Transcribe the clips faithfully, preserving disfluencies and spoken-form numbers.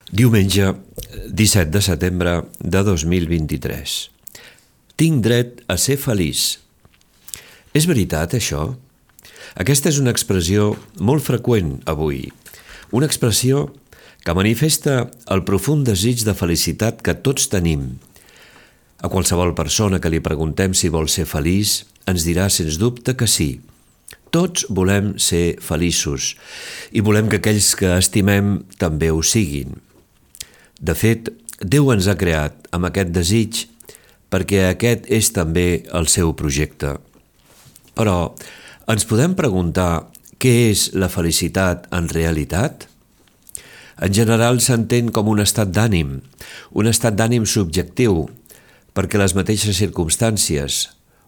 Diumenge, disset de setembre de dos mil vint-i-tres. Tinc dret a ser feliç. És veritat, això? Aquesta és una expressió molt freqüent avui. Una expressió que manifesta el profund desig de felicitat que tots tenim. A qualsevol persona que li preguntem si vol ser feliç, ens dirà sens dubte que sí. Tots volem ser feliços i volem que aquells que estimem també ho siguin. De fet, Déu ens ha creat amb aquest desig perquè aquest és també el seu projecte. Però ens podem preguntar què és la felicitat en realitat? En general s'entén com un estat d'ànim, un estat d'ànim subjectiu, perquè les mateixes circumstàncies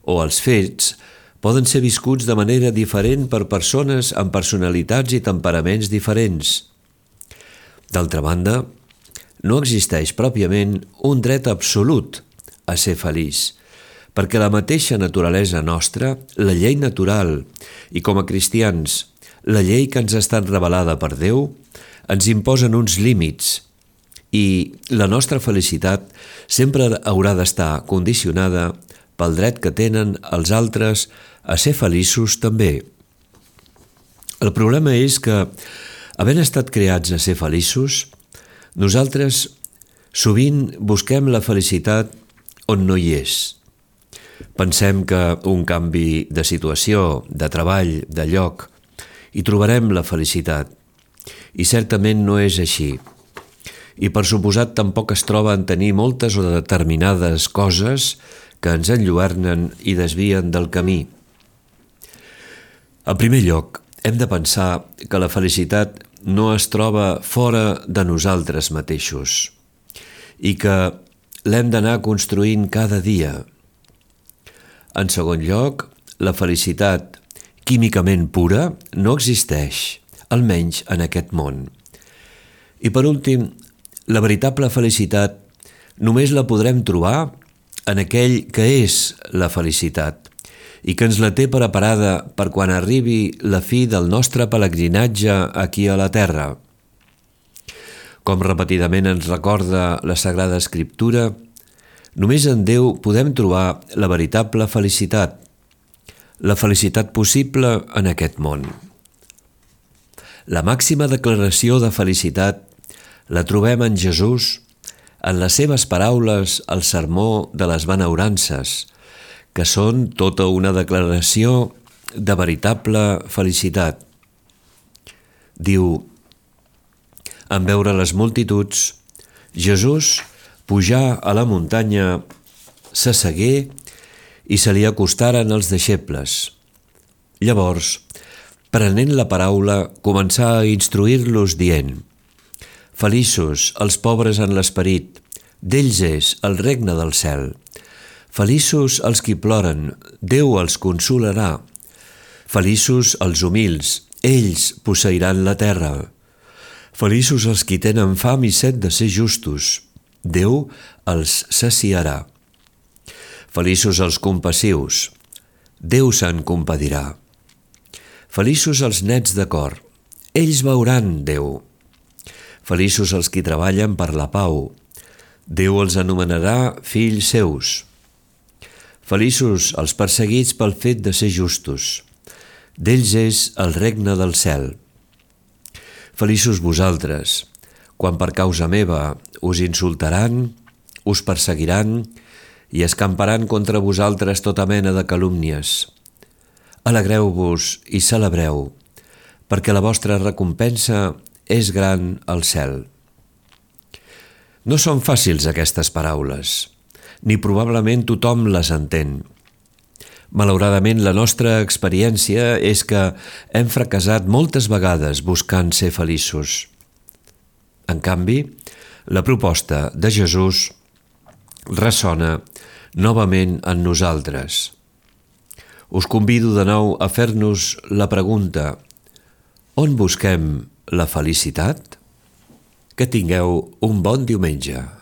o els fets poden ser viscuts de manera diferent per persones amb personalitats i temperaments diferents. D'altra banda, no existeix pròpiament un dret absolut a ser feliç, perquè la mateixa naturalesa nostra, la llei natural, i com a cristians, la llei que ens ha estat revelada per Déu, ens imposen uns límits, i la nostra felicitat sempre haurà d'estar condicionada pel dret que tenen els altres a ser feliços també. El problema és que, havent estat creats a ser feliços, nosaltres sovint busquem la felicitat on no hi és. Pensem que un canvi de situació, de treball, de lloc, hi trobarem la felicitat, i certament no és així. I per suposat tampoc es troba en tenir moltes o determinades coses que ens enlluernen i desvien del camí. En primer lloc, hem de pensar que la felicitat no es troba fora de nosaltres mateixos i que l'hem d'anar construint cada dia. En segon lloc, la felicitat químicament pura no existeix, almenys en aquest món. I per últim, la veritable felicitat només la podrem trobar en aquell que és la felicitat i que ens la té preparada per quan arribi la fi del nostre pelegrinatge aquí a la terra. Com repetidament ens recorda la Sagrada Escriptura, només en Déu podem trobar la veritable felicitat, la felicitat possible en aquest món. La màxima declaració de felicitat la trobem en Jesús, en les seves paraules al sermó de les benaurances, que són tota una declaració de veritable felicitat. Diu: en veure les multituds, Jesús pujà a la muntanya, s'assegué i se li acostaren els deixebles. Llavors, prenent la paraula, començà a instruir-los dient: feliços els pobres en l'esperit, d'ells és el regne del cel. Feliços els qui ploren, Déu els consolarà. Feliços els humils, ells posseiran la terra. Feliços els qui tenen fam i set de ser justos, Déu els saciarà. Feliços els compassius, Déu se'n compadirà. Feliços els nets de cor, ells veuran Déu. Feliços els qui treballen per la pau, Déu els anomenarà fills seus. Feliços els perseguits pel fet de ser justos, d'ells és el regne del cel. Feliços vosaltres, quan per causa meva us insultaran, us perseguiran i escamparan contra vosaltres tota mena de calúmnies. Alegreu-vos i celebreu, perquè la vostra recompensa és gran al cel. No són fàcils aquestes paraules, ni probablement tothom les entén. Malauradament, la nostra experiència és que hem fracassat moltes vegades buscant ser feliços. En canvi, la proposta de Jesús ressona novament en nosaltres. Us convido de nou a fer-nos la pregunta: on busquem la felicitat? Que tingueu un bon diumenge.